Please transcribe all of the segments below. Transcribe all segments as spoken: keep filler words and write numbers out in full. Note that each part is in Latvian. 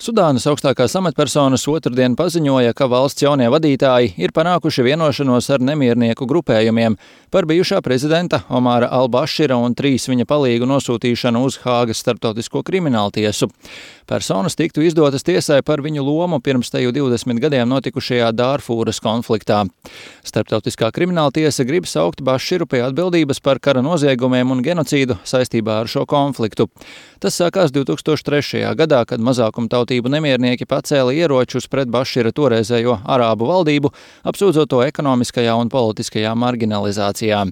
Sudānas augstākās amatpersonas otrdien paziņoja, ka valsts jaunie vadītāji ir panākuši vienošanos ar nemiernieku grupējumiem par bijušā prezidenta Omara al-Bašira un trīs viņa palīgu nosūtīšanu uz Hāgas starptautisko krimināltiesu. Personas tiktu izdotas tiesai par viņu lomu pirms teju divdesmit gadiem notikušajā Dārfūras konfliktā. Starptautiskā krimināltiesa grib saukt Baširu pie atbildības par kara noziegumiem un genocīdu saistībā ar šo konfliktu. Tas sākās divtūkstoš trešajā gadā, kad mazākumtautību nemiernieki pacēla ieročus pret Bašira toreizējo arābu valdību, apsūdzot to ekonomiskajā un politiskajā marginalizācijā.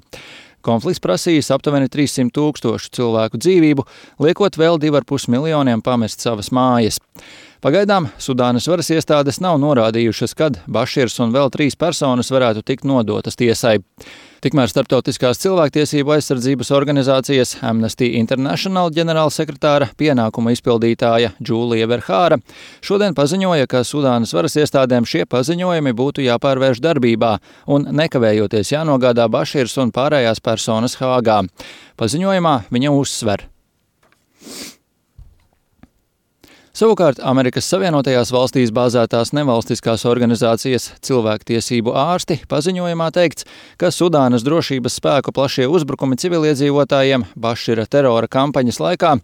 Konflikts prasījis aptuveni trīssimt tūkstošu cilvēku dzīvību, liekot vēl divi ar pus miljoniem pamest savas mājas. Pagaidām Sudānas varas iestādes nav norādījušas, kad Baširs un vēl trīs personas varētu tikt nodotas tiesai. Tikmēr starptautiskās cilvēktiesību aizsardzības organizācijas Amnesty International ģenerālsekretāra pienākuma izpildītāja Džūlija Verhāra šodien paziņoja, ka Sudānas varas iestādēm šie paziņojumi būtu jāpārvērš darbībā un nekavējoties jānogādā Baširs un pārējās personas Hāgā. Paziņojumā viņa uzsver. Savukārt Amerikas Savienotajās valstīs bāzētās nevalstiskās organizācijas cilvēktiesību ārsti paziņojumā teikts, ka Sudānas drošības spēku plašie uzbrukumi civiliedzīvotājiem Bašira terora kampaņas laikā,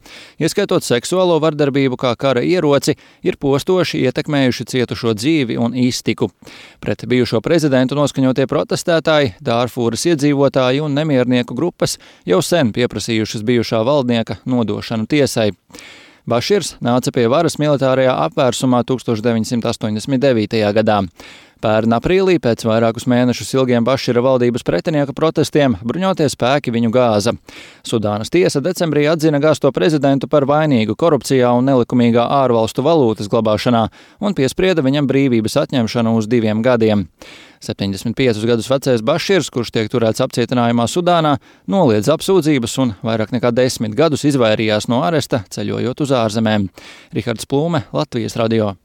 ieskaitot seksuālo vardarbību kā kara ieroci, ir postoši ietekmējuši cietušo dzīvi un iztiku. Pret bijušo prezidentu noskaņotie protestētāji, Dārfūras iedzīvotāji un nemiernieku grupas jau sen pieprasījušas bijušā valdnieka nodošanu tiesai. Baširs nāca pie varas militārajā apvērsumā tūkstoš deviņsimt astoņdesmit devītajā gadā. Pērn aprīlī, pēc vairākus mēnešus ilgiem Bašira valdības pretinieka protestiem, bruņotie spēki viņu gāza. Sudānas tiesa decembrī atzina gāzto prezidentu par vainīgu korupcijā un nelikumīgā ārvalstu valūtas glabāšanā un piesprieda viņam brīvības atņemšanu uz diviem gadiem. septiņdesmit piecus gadus vecais Baširs, kurš tiek turēts apcietinājumā Sudānā, noliedz apsūdzības un vairāk nekā desmit gadus izvairījās no aresta, ceļojot uz ārzemēm. Rihards Plūme, Latvijas radio.